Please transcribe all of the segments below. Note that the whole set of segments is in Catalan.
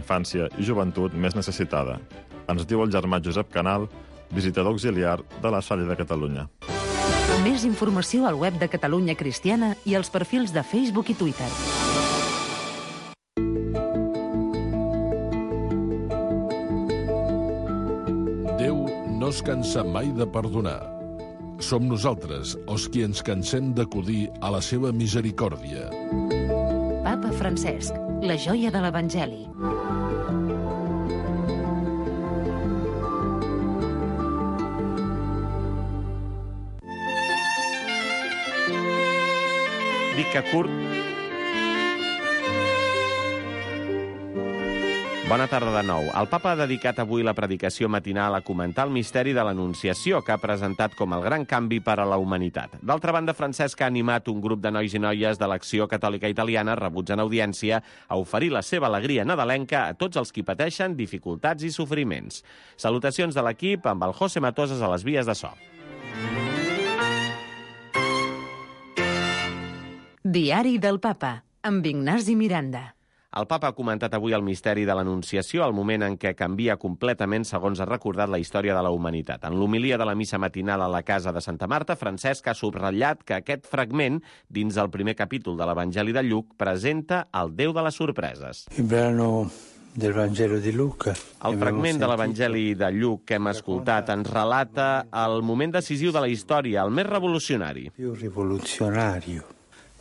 infància i joventut més necessitada. Ens diu el germà Josep Canal, visitador auxiliar de la Salle de Catalunya. Més informació al web de Catalunya Cristiana i als perfils de Facebook i Twitter. Déu no es cansa mai de perdonar. Som nosaltres els qui ens cansem d'acudir a la seva misericòrdia. Papa Francesc, la joia de l'Evangeli. Dic que curt. Bona tarda de nou. El papa ha dedicat avui la predicació matinal a comentar el misteri de l'Anunciació, que ha presentat com el gran canvi per a la humanitat. D'altra banda, Francesc ha animat un grup de nois i noies de l'Acció Catòlica Italiana, rebuts en audiència, a oferir la seva alegria nadalenca a tots els qui pateixen dificultats i sofriments. Salutacions de l'equip amb el José Matosas a les vies de so. Diari del Papa, amb Ignasi Miranda. El papa ha comentat avui el misteri de l'Anunciació, el moment en què canvia completament, segons ha recordat, la història de la humanitat. En l'homilia de la missa matinal a la casa de Santa Marta, Francesc ha subratllat que aquest fragment, dins el primer capítol de l'Evangeli de Lluc, presenta el Déu de les sorpreses. Il brano del Vangelo di Luca. El fragment de l'Evangeli de Lluc que hem escoltat ens relata el moment decisiu de la història, el més revolucionari. Più rivoluzionario.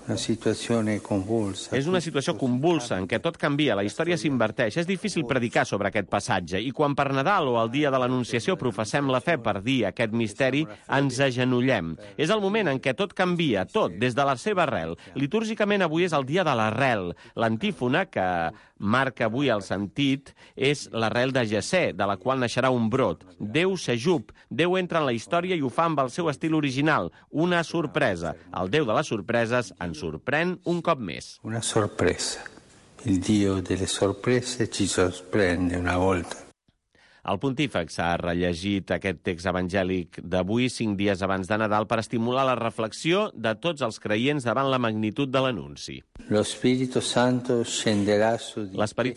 Una situació convulsa. És una situació convulsa en què tot canvia, la història s'inverteix. És difícil predicar sobre aquest passatge i quan per Nadal o el dia de l'Anunciació professem la fe per dir aquest misteri, ens agenollem. És el moment en què tot canvia, tot, des de la seva arrel. Litúrgicament avui és el dia de l'arrel. L'antífona que marca avui el sentit és l'arrel de Jessé, de la qual naixerà un brot. Déu s'ajup, Déu entra en la història i ho fa amb el seu estil original, una sorpresa. El Déu de les sorpreses ens sorprèn un cop més. Una sorpresa. Il Dio delle sorprese ci sorprende una volta. El pontífex ha rellegit aquest text evangèlic d'avui 5 dies abans de Nadal per estimular la reflexió de tots els creients davant la magnitud de l'anunci. L'Espírit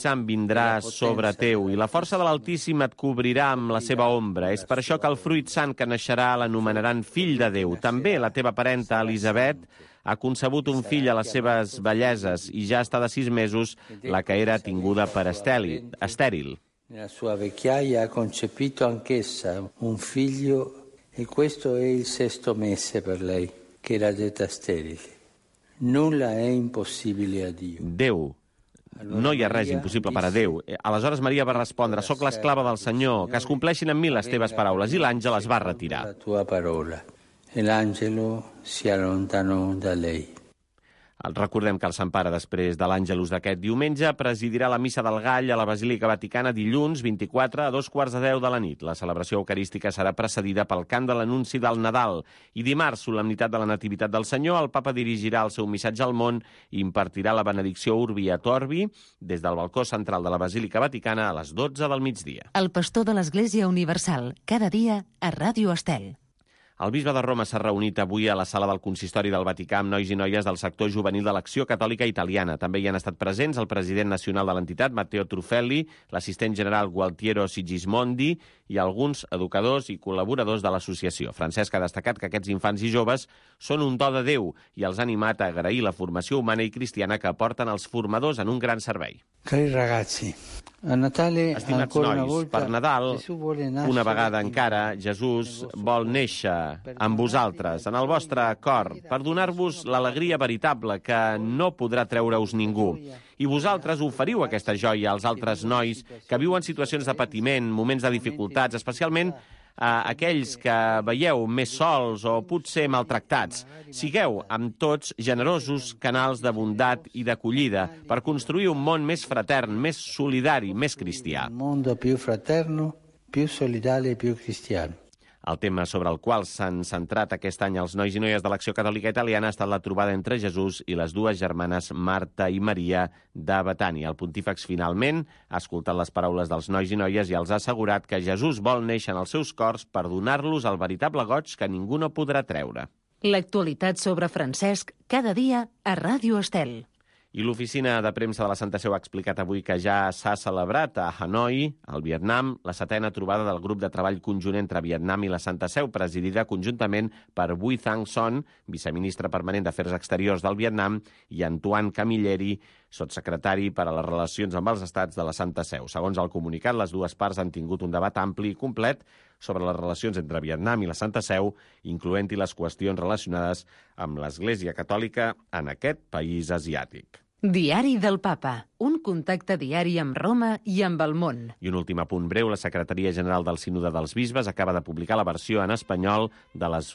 Sant vindrà sobre teu i la força de l'Altíssim et cobrirà amb la seva ombra. És per això que el fruit sant que naixerà l'anomenaran fill de Déu. També la teva parenta Elisabet ha concebut un fill a les seves velleses i ja està de 6 mesos la que era tinguda per estèril. Nella sua vecchiaia ha concepito anch'essa un figlio e questo è il 6° mese per lei, che era detta sterile. Nulla è impossibile a Dio. Déu. No hi ha res impossible per a Déu. Aleshores Maria va respondre: «Soc l'esclava del Senyor, que es compleixin en mi les teves paraules». I l'àngel es va retirar. La tua parola. E l'angelo si allontanò da lei. Recordem que el Sant Pare, després de l'Àngelus d'aquest diumenge, presidirà la Missa del Gall a la Basílica Vaticana dilluns 24 a 2:15 de la nit. La celebració eucarística serà precedida pel cant de l'anunci del Nadal. I dimarts, solemnitat de la Nativitat del Senyor, el papa dirigirà el seu missatge al món i impartirà la benedicció Urbi et Orbi des del balcó central de la Basílica Vaticana a les 12 del migdia. El pastor de l'Església Universal, cada dia a Ràdio Estel. El bisbe de Roma s'ha reunit avui a la sala del Consistori del Vaticà amb nois i noies del sector juvenil de l'Acció Catòlica Italiana. També hi han estat presents el president nacional de l'entitat, Matteo Trufelli, l'assistent general Gualtiero Sigismondi i alguns educadors i col·laboradors de l'associació. Francesc ha destacat que aquests infants i joves són un do de Déu i els ha animat a agrair la formació humana i cristiana que aporten els formadors en un gran servei. Cari ragazzi, a Natale, estimats nois, per Nadal, una vegada encara, Jesús vol néixer amb vosaltres, en el vostre cor, per donar-vos l'alegria veritable que no podrà treure-us ningú. I vosaltres oferiu aquesta joia als altres nois que viuen situacions de patiment, moments de dificultats, especialment a aquells que veieu més sols o potser maltractats. Sigueu amb tots generosos canals de bondat i d'acollida per construir un món més fratern, més solidari, més cristià. Un mondo più fraterno, più solidale e più cristiano. El tema sobre el qual s'han centrat aquest any els nois i noies de l'Acció Catòlica Italiana ha estat la trobada entre Jesús i les dues germanes Marta i Maria de Betània. El pontífex finalment ha escoltat les paraules dels nois i noies i els ha assegurat que Jesús vol néixer en els seus cors per donar-los el veritable goig que ningú no podrà treure. L'actualitat sobre Francesc cada dia a Ràdio Estel. I l'oficina de premsa de la Santa Seu ha explicat avui que ja s'ha celebrat a Hanoi, al Vietnam, la 7a trobada del grup de treball conjunt entre Vietnam i la Santa Seu, presidida conjuntament per Bui Thanh Son, viceministre permanent d'Afers Exteriors del Vietnam, i Antoine Camilleri, sotssecretari per a les relacions amb els estats de la Santa Seu. Segons el comunicat, les dues parts han tingut un debat ampli i complet sobre les relacions entre Vietnam i la Santa Seu, incloent-hi les qüestions relacionades amb l'Església Catòlica en aquest país asiàtic. Diari del Papa, un contacte diari amb Roma i amb el món. I un últim apunt breu, la Secretaria General del Sínode dels Bisbes acaba de publicar la versió en espanyol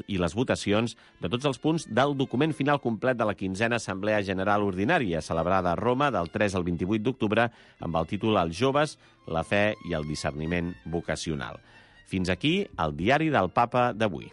i les votacions de tots els punts del document final complet de la 15a Assemblea General Ordinària, celebrada a Roma del 3 al 28 d'octubre, amb el títol Els joves, la fe i el discerniment vocacional. Fins aquí el Diari del Papa d'avui.